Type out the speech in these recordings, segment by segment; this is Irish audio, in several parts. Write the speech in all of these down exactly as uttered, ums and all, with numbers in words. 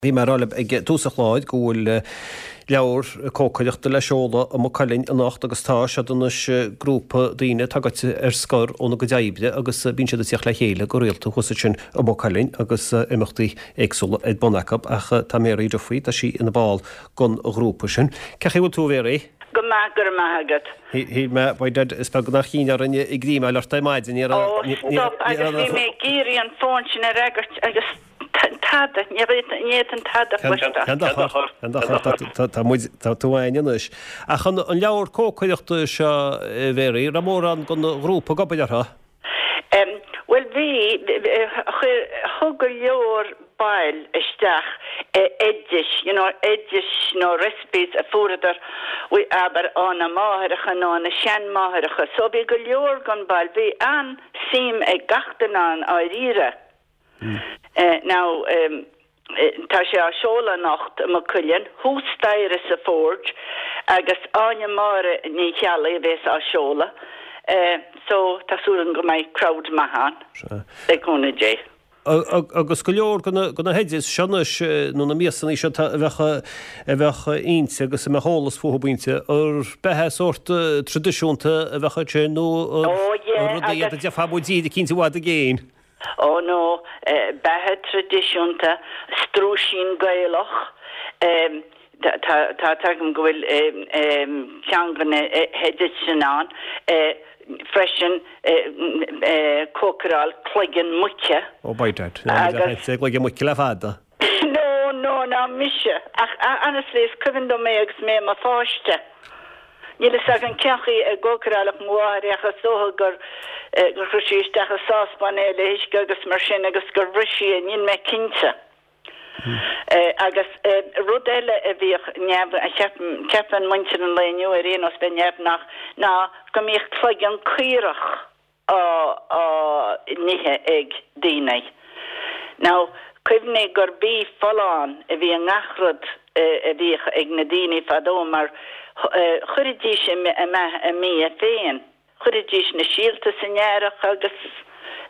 Bhí mé ag rá libh ag tús an chláir go bhfuil leabhar cócaireachta le seoladh i Maigh Cuilinn anocht agus tá siad anois grúpa daoine atá gaite ar scor óna gcuid oibre agus bíonn siad ag tíocht le chéile go rialta thuas ansin i Maigh Cuilinn agus imeachtaí éagsúla ar bun acu ach tá Mary Duffy, tá sí ina ball den ghrúpa sin. Cén chaoi a bhfuil tú, a Mhary? Go maith, go raibh maith agat. Shíl mé, by dad, is beag nach chinn orainn ag rímeáil ort ar maidin, ní raibh. Ó, stop, agus bhí mé ag iarraidh an fón sin a fhreagairt agus tada, ní fhéadfainn tada a chloisteáil. Cén dochar, cén dochar, tá muid, tá tú againn anois. Ach an leabhar cócaireachta seo, a Mhary, raibh mórán den ghrúpa ag obair orthu? Bhuel bhí, chuir, thug go leor baill isteach oidis, you know, oidis nó recipes a fuaireadar, abair, óna máithreacha nó óna seanmáithreacha. So bhí go leor den baill, bhí an-suim ag gach duine ann dháiríre. Now, tá sé á seoladh anocht i Maigh Cuilinn, thuas staighre sa Forge agus Áine Máire Ní Cheallaigh a bhéas á seoladh. So tá súil agam go mbeidh crowd maith ann, le cúnamh Dé. Agus go leor de na hoidis seo anois, nó na miasanna seo a bheadh a bheadh inti agus a mbeadh eolas fúthu inti, ar beatha sórt traidisiúnta a bheadh ansin nó rudaí iad a déarfá i dtír eicínt i bhfad i gcéin? Ó no, beatha traidisiúnta, strúisín Gaelach, tá tá a fhios agam go bhfuil ceann de na hoidis sin ann freisin, cócaráil cloigeann muice. Ó by dad, agus cloigeann muice le fada. No, no, ná mise, ach honestly is cuimhin dom é agus mé i mo pháiste. Níl fhios agam cén chaoi a gcócaráladh mo mháthair é ach is dócha gur gur chuir sí isteach i sáspan é le huisce agus mar sin agus gur bhris sí é, níl mé cinnte. Agus rud eile a bhíodh neamh, a cheapann, ceapann muintir an lae inniu ar aon nós bheith neamhghnách ná go mbíodh cloigeann caorach á á n-ithe ag daoine. Now, cuimhnigh gur bia folláin a bhí i ngach rud a bhíodh ag na daoine fadó mar chuiridís i mbeatha a mbia féin. Chuiridís na síolta san earrach agus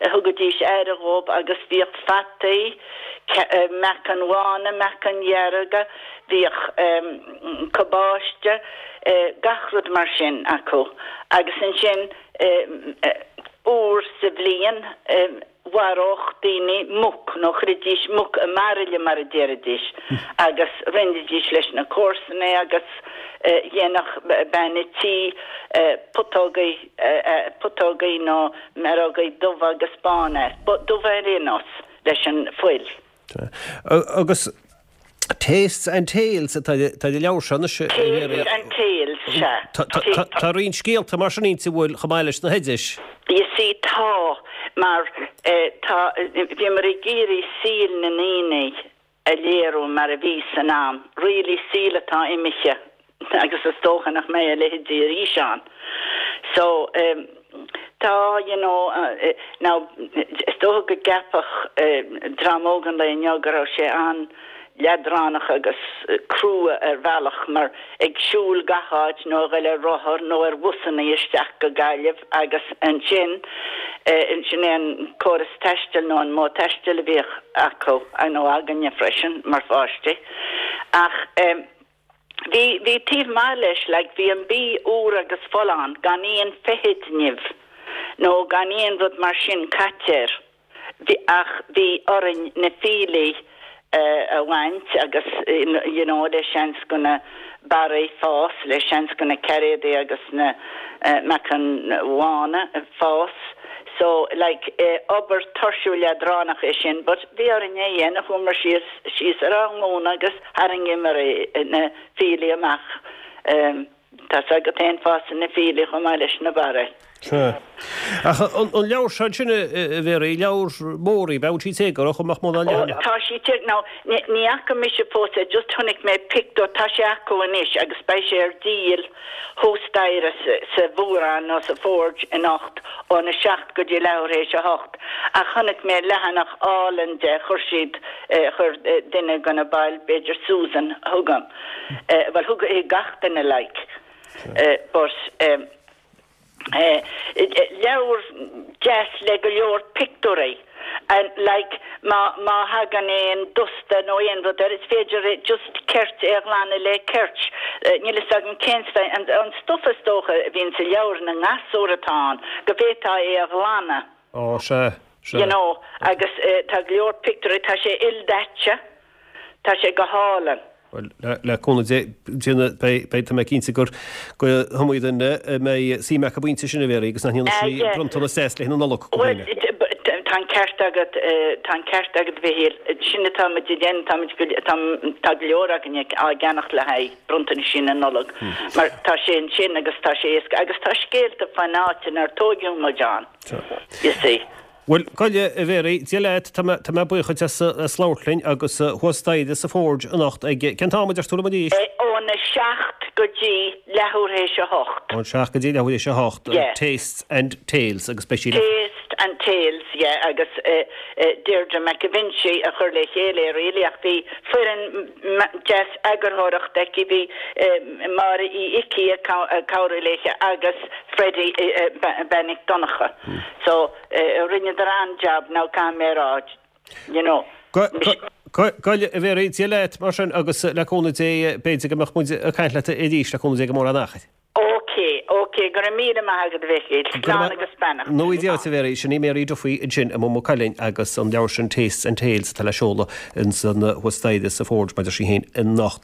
thugaidís aire dhóibh agus bhíodh fataí, meacain bhána, meacain dhearga, bhíodh cabáiste, gach rud mar sin acu. Agus ansin uair sa bhliain mharódh daoine muc, nó chuiridís muc i mbairille mar a déarfaidís, agus roinnidís leis na comharsana é agus dhéanfadh bean a' tí putógaí, putógaí nó mearógaí dubha agus bána as, dubha ar aon nós, leis an fuil. Agus Tastes and Tales atá ar an leabhar seo anois. Tastes and Tales, sea. Tá roinnt scéalta mar sin inti, an bhfuil, chomh maith leis na hoidis? You see, tá, mar tá, bhíomar ag iarraidh saol na ndaoine a léiriú mar a bhí san am, really saol atá imithe agus is dócha nach mbeidh a leithéidí arís ann. So, tá, you know, now, is dócha go gceapfadh dream óg an lae inniu go raibh sé an-leadránach agus crua ar bhealach mar ag siúl gach áit nó a ghoil ar rothar nó ar bhusanna isteach go Gaillimh agus ansin, sin é an córas taistil nó an modh taistil a bhíodh acu, nó againne freisin mar pháistí. Ach. Bhí, bhí taobh maith leis, like, bhí an bia úr agus folláin, gan aon feithid nimh nó gan aon rud mar sin caite air. Bhí, ach bhí orainn na fiailí a bhaint agus, you know, le seans go na barraí fás, le seans go na cairéadaí agus na meacain bhána fás. So, like, obair tuirsiúil leadránach é sin, but bhí orainn é a dhéanamh, chuamar síos, síos ar ár nglúine agus tharraingíomar na fiailí amach. Tá's agat féin, fásann na fiailí chomh maith leis na barraí. Sea. Ach an leabhar seo ansin, a Mhary, leabhar mór í, bheadh sí téagartha chomh maith mó ná leathanach. Ó, tá sí téagartha. Now, ní fhaca mise fós é, just chonaic mé pictiúr, tá sé acu anois agus beidh sé ar díol thuas staighre sa Mhórán nó sa Forge anocht óna seacht go dtí leathuair théis a hocht. Ach chonaic mé leathanach álainn de, chuir siad, chuir duine de na baill, b'fhéidir Susan, chugam. Bhuel, thug gach duine like, but leabhar deas le go leor pictiúirí And like má má thagann aon dusta nó aon rud air is féidir é just ceirt é a ghlanadh le ceirt. Uh, Níl a fhios agam cén an, an stuff is dócha a bhíonn sa leabhar na ngasúr atá ann, go bhféadfá é a ghlanadh. Ó sé sé. You know, agus uh, tá go leor pictiúirí tá sé ildaite, tá sé go hálainn. Well, le le cúnamh Dé beidh tá mé cinnte gur go hiomaí duine a mbeidh suim acu bainte sin a Mhéaraí agus nach Ah, sí yeah. bronntanas deas le na Nollag Well, it- but tá an ceart agat eh, tá an ceart agat a Mhichíl sin atá muid ag déanamh tá tá tá go leor againne á gceannach le haghaidh bronntanais na Nollag mar tá sé sin agus tá sé éasca agus tá scéalta faoin áit inar tógadh muid ann. You see. Well goile a Mhéaraí Dia leat tá tá mé buíoch as as labhairt linn agus thuas staighre sa Forge anocht ag cén t-am a deir tú liom arís? Eh, Óna seacht go dtí leathuair théis a hocht. Ón seacht go dtí leathuair théis a hocht Yeah. Tastes and Tales agus beidh sí le Taste and Tales, yeah, agus uh, uh, Deirdre McAvinci a chur le chéile really ach bhí foireann deas eagarthóireachta aici bhí uh, Máire Uí Icí a cabhrú léithe agus Freddie uh, uh, Bennick Doncha. So uh, rinneadar an-job now can mé rá, you know. Goile a Mhéaraí Dia leat mar sin agus le cúnamh Dé b'fhéidir go mbeidh muid ag caint leat arís le cúnamh Dé go mór an achar. Ok, ok, go raibh míle maith agat a Mhichíl, slán agus beannacht. Nó Dia a Mhéaraí sin í Mary Duffy ansin i Maigh Cuilinn agus an leabhar sin Tastes and Tales atá le seoladh in san thuas staighre sa Forge maidir sí héin anocht.